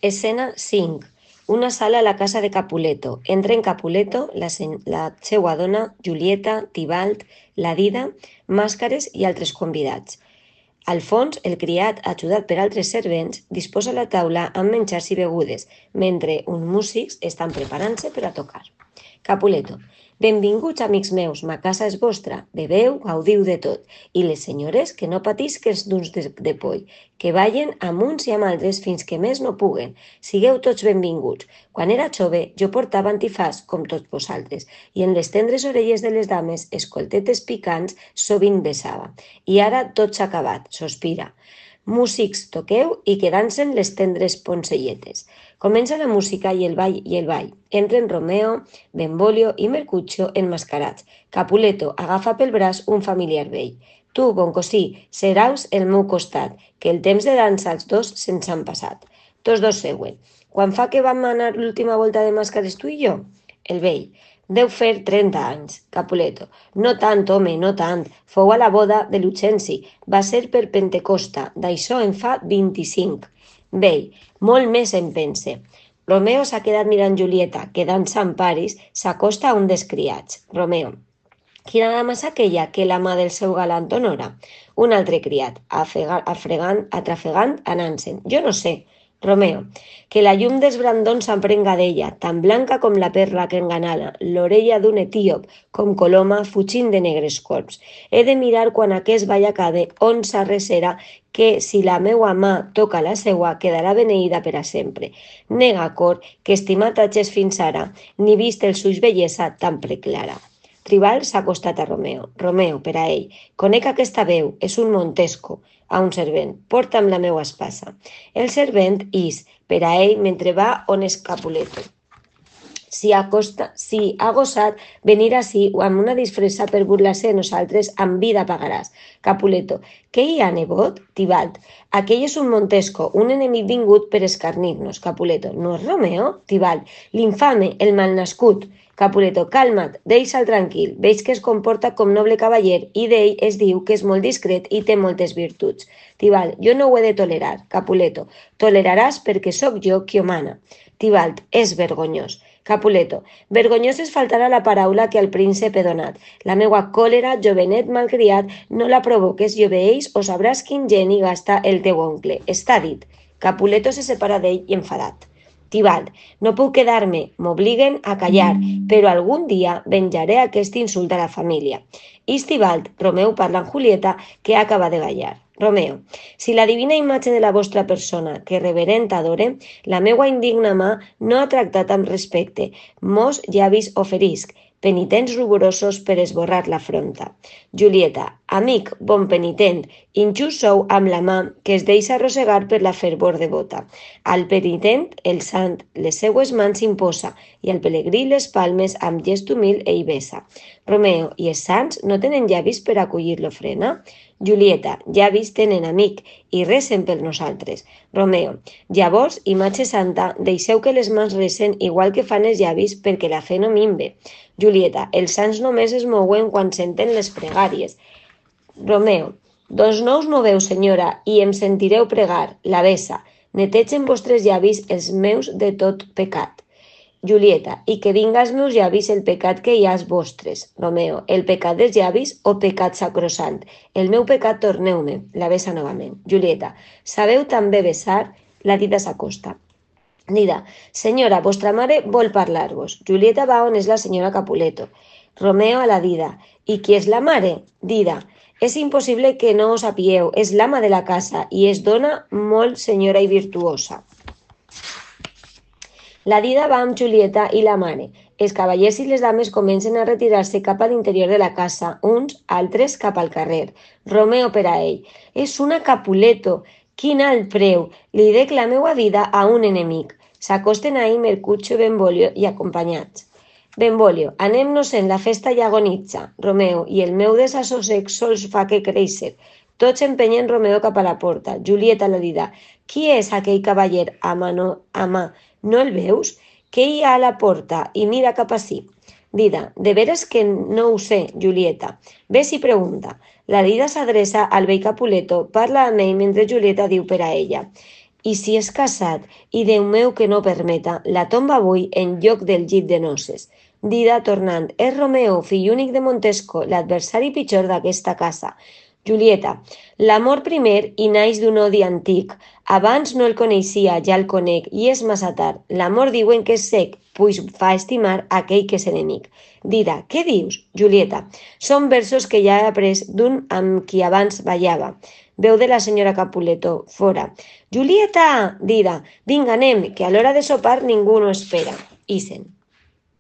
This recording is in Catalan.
Escena 5. Una sala a la casa de Capuleto. Entren Capuleto, la seua dona, Julieta, Tibalt, la Dida, màscares i altres convidats. Al fons, el criat, ajudat per altres servents, disposa la taula amb menjars i begudes, mentre uns músics estan preparant-se per a tocar. Capuleto. Benvinguts, amics meus, ma casa és vostra. Beveu, gaudiu de tot. I les senyores, que no patisquen d'uns de poll, que ballen amb uns i amb altres fins que més no puguen. Sigueu tots benvinguts. Quan era jove, jo portava antifàs, com tots vosaltres, i en les tendres orelles de les dames, escoltetes picants, sovint besava. I ara tot s'ha acabat, sospira. Músics, toqueu i que dansen les tendres poncelletes. Comença la música i el ball. Entren Romeo, Benvolio i Mercutio enmascarats. Capuleto agafa pel braç un familiar vell. Tu, bon cosí, seràs el meu costat, que el temps de dansa els dos se'ns han passat. Tots dos seuen. Quan fa que vam anar l'última volta de màscares tu i jo? El vell. Deu fer 30 anys. Capuleto. No tant, home, no tant. Fou a la boda de Lucenci. Va ser per Pentecosta. D'això en fa 25. Vell. Molt més en pense. Romeo s'ha quedat mirant Julieta, que dansa en Paris, s'acosta a un dels criats. Romeo. Quina dama és aquella que la mà del seu galant honora? Un altre criat, atrafegant, anant-se'n. Jo no sé. Romeo, que la llum dels brandons s'emprenga d'ella, tan blanca com la perla que enganala, l'orella d'un etíop, com Coloma fugint de negres corbs. He de mirar quan aquest ball acabe on s'arrecera que si la meua mà toca la seua quedarà beneïda per a sempre. Nega cor que estimat hages fins ara, ni vist els ulls bellesa tan preclara. Tribal s'ha acostat a Romeo. Romeo, per a ell. Conec aquesta veu, és un Montesco. A un servent. Porta'm la meua espasa. El servent is, per a ell, mentre va on és Capuleto. Si ha gosat venir ací o amb una disfressa per burlar-se de nosaltres, amb vida pagaràs. Capuleto. Què hi ha, nebot? Tibalt. Aquell és un Montesco, un enemic vingut per escarnir-nos. Capuleto. No és Romeo? Tibalt. L'infame, el malnascut. Capuleto, calma't, deixa'l tranquil, veig que es comporta com noble cavaller i d'ell es diu que és molt discret i té moltes virtuts. Tibalt, jo no ho he de tolerar. Capuleto, toleraràs perquè sóc jo qui ho mana. Tibalt, és vergonyós. Capuleto, vergonyós és faltar a la paraula que al príncep he donat. La meua còlera, jovenet malcriat, no la provoques i obeeix o sabràs quin geni gasta el teu oncle. Està dit. Capuleto se separa d'ell i enfadat. Tibalt, no puc quedar-me, m'obliguen a callar, però algun dia venjaré aquest insult a la família. És Tibalt, Romeo parla amb Julieta, que acaba de ballar. Romeo, si la divina imatge de la vostra persona, que reverent adore, la meua indigna mà no ha tractat amb respecte, mos llavis oferisc, penitents ruborosos per esborrar l'afronta. Julieta, amic, bon penitent, injust sou amb la mà que es deixa arrossegar per la fervor devota. Al penitent, el sant, les seues mans imposa, i al pelegrí les palmes amb gest humil ell besa. Romeo, i els sants no tenen llavis per acollir l'ofrena? Julieta, llavis tenen amic, i recen per nosaltres. Romeo, llavors, imatge santa, deixeu que les mans recen igual que fan els llavis perquè la fe no minve. Julieta, els sants només es mouen quan senten les pregàries. Romeo, doncs no us moveu, senyora, i em sentireu pregar, la besa. Netegen vostres llavis els meus de tot pecat. Julieta, i que vinga als meus llavis el pecat que hi ha als vostres. Romeo, el pecat dels llavis o pecat sacrosant? El meu pecat torneu-me, la besa novament. Julieta, sabeu també besar? La Dida s'acosta. Dida, senyora, vostra mare vol parlar-vos. Julieta va on és la senyora Capuleto. Romeo a la Dida. I qui és la mare? Dida, és impossible que no ho sapieu, és l'ama de la casa i és dona molt senyora i virtuosa. La Dida va amb Julieta i la mare. Els cavallers i les dames comencen a retirar-se cap a l'interior de la casa, uns, altres cap al carrer. Romeo per a ell. És una Capuleto. Quin alt preu! Li dec la meua vida a un enemic. S'acosten a ell Mercutio, Benvolio i acompanyats. Benvolio, anem-nos-en, la festa ja agonitza. Romeo, i el meu desassossec sols fa que créixer. Tots empenyen Romeo cap a la porta. Julieta la Dida. Qui és aquell cavaller? Ama, no el veus? Què hi ha a la porta? I mira cap ací. Dida, de veres que no ho sé, Julieta. Ves i pregunta. La Dida s'adreça al vell Capuleto, parla amb ell mentre Julieta diu per a ella. I si és casat, i Déu meu que no permeta, la tomba avui en lloc del llit de noces. Dida tornant, és Romeo, fill únic de Montesco, l'adversari pitjor d'aquesta casa. Julieta, l'amor primer hi naix d'un odi antic. Abans no el coneixia, ja el conec, i és massa tard. L'amor diuen que és sec, pues fa estimar aquell que és enemic. Dida, què dius? Julieta, són versos que ja he après d'un amb qui abans ballava. Veu de la senyora Capuleto, fora. Julieta! Dida, vinga, anem, que a l'hora de sopar ningú no espera. Isen.